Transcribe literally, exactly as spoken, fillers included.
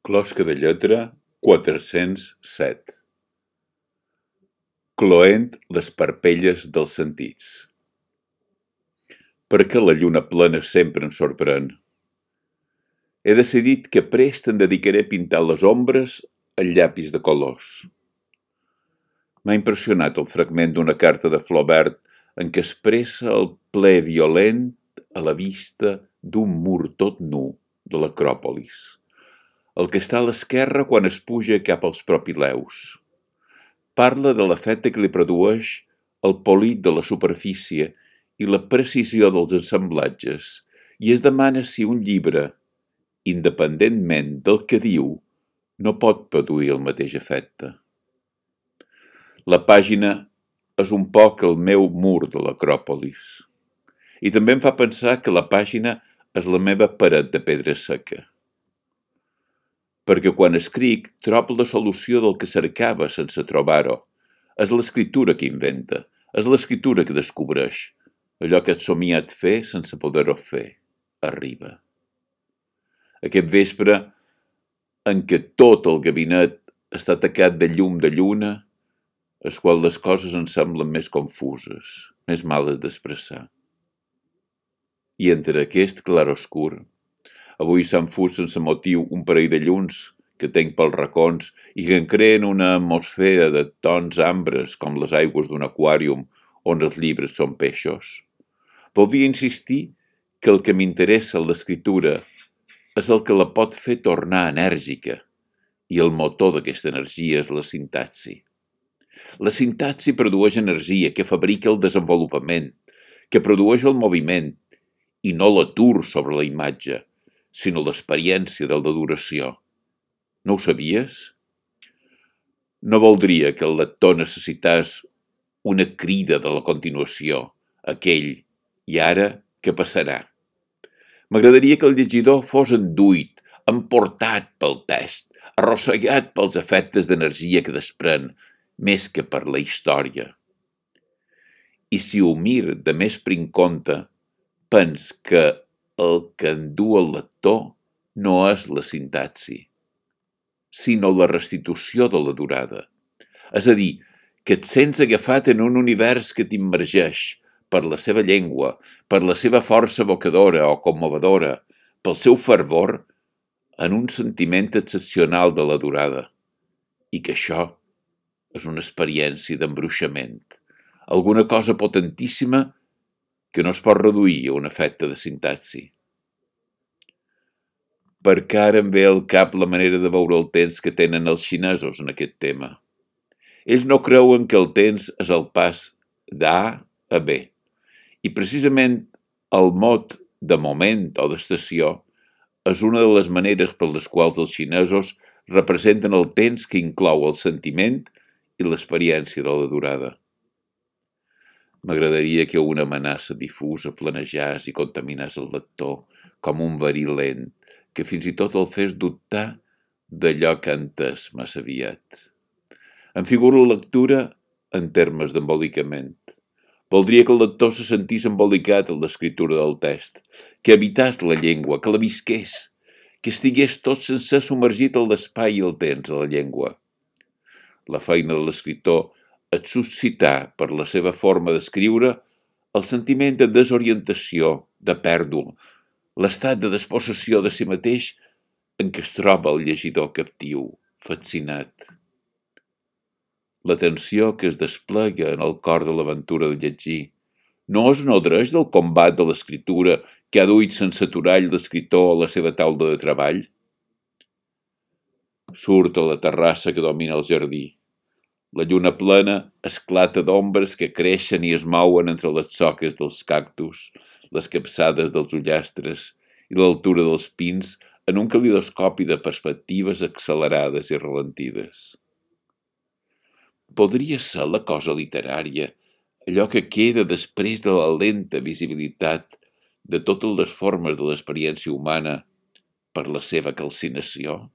Closca de lletra quatre-cents set. Cloent les parpelles dels sentits. Perquè la lluna plena sempre em sorprèn. He decidit que prest em dedicaré a pintar les ombres al llapis de colors. M'ha impressionat el fragment d'una carta de Flaubert en què expressa el ple violent a la vista d'un mur tot nu de l'Acròpolis, el que està a l'esquerra quan es puja cap als propileus. Parla de l'efecte que li produeix el polit de la superfície i la precisió dels assemblatges i es demana si un llibre, independentment del que diu, no pot produir el mateix efecte. La pàgina és un poc el meu mur de l'Acròpolis i també em fa pensar que la pàgina és la meva paret de pedra seca. Perquè quan escric trobo la solució del que cercava sense trobar-ho. És l'escriptura que inventa, és l'escriptura que descobreix. Allò que he somiat fer sense poder-ho fer, arriba. Aquest vespre, en què tot el gabinet està tacat de llum de lluna, és quan les coses em semblen més confuses, més males d'expressar. I entre aquest clarobscur, avui s'han fus sense motiu un parell de llums que tenc pels racons i que en creen una atmosfera de tons ambres com les aigües d'un aquàrium on els llibres són peixos. Voldria insistir que el que m'interessa en l'escriptura és el que la pot fer tornar enèrgica i el motor d'aquesta energia és la sintaxi. La sintaxi produeix energia que fabrica el desenvolupament, que produeix el moviment i no l'atur sobre la imatge, sinó l'experiència de la duració. No ho sabies? No voldria que el lector necessités una crida de la continuació, aquell, i ara què passarà? M'agradaria que el llegidor fos enduit, emportat pel text, arrossegat pels efectes d'energia que desprèn, més que per la història. I si ho mir de més prin compte, pens que el que endú el lector no és la sintaxi, sinó la restitució de la durada. És a dir, que et sents agafat en un univers que t'immergeix per la seva llengua, per la seva força evocadora o commovedora, pel seu fervor, en un sentiment excepcional de la durada. I que això és una experiència d'embruixament, alguna cosa potentíssima que no es pot reduir a un efecte de sintaxi. Perquè ara em ve al cap la manera de veure el temps que tenen els xinesos en aquest tema. Ells no creuen que el temps és el pas d'A a B, i precisament el mot de moment o d'estació és una de les maneres per les quals els xinesos representen el temps que inclou el sentiment i l'experiència de la durada. M'agradaria que una amenaça difusa planejàs i contaminàs el lector com un verí lent, que fins i tot el fes dubtar d'allò que ha entès massa aviat. Em figuro la lectura en termes d'embolicament. Voldria que el lector se sentís embolicat en l'escriptura del text, que habitàs la llengua, que la visqués, que estigués tot sencer submergit en l'espai i el temps de la llengua. La feina de l'escriptor és suscitar, per la seva forma d'escriure, el sentiment de desorientació, de pèrdua, l'estat de despossessió de si mateix en què es troba el llegidor captiu, fascinat. La tensió que es desplega en el cor de l'aventura de llegir no es nodreix del combat de l'escriptura que ha duit sense aturall l'escriptor a la seva taula de treball? Surt a la terrassa que domina el jardí. La lluna plena esclata d'ombres que creixen i es mouen entre les soques dels cactus, les capçades dels ullastres i l'altura dels pins en un calidoscopi de perspectives accelerades i ralentides. Podria ser la cosa literària, allò que queda després de la lenta visibilitat de totes les formes de l'experiència humana per la seva calcinació?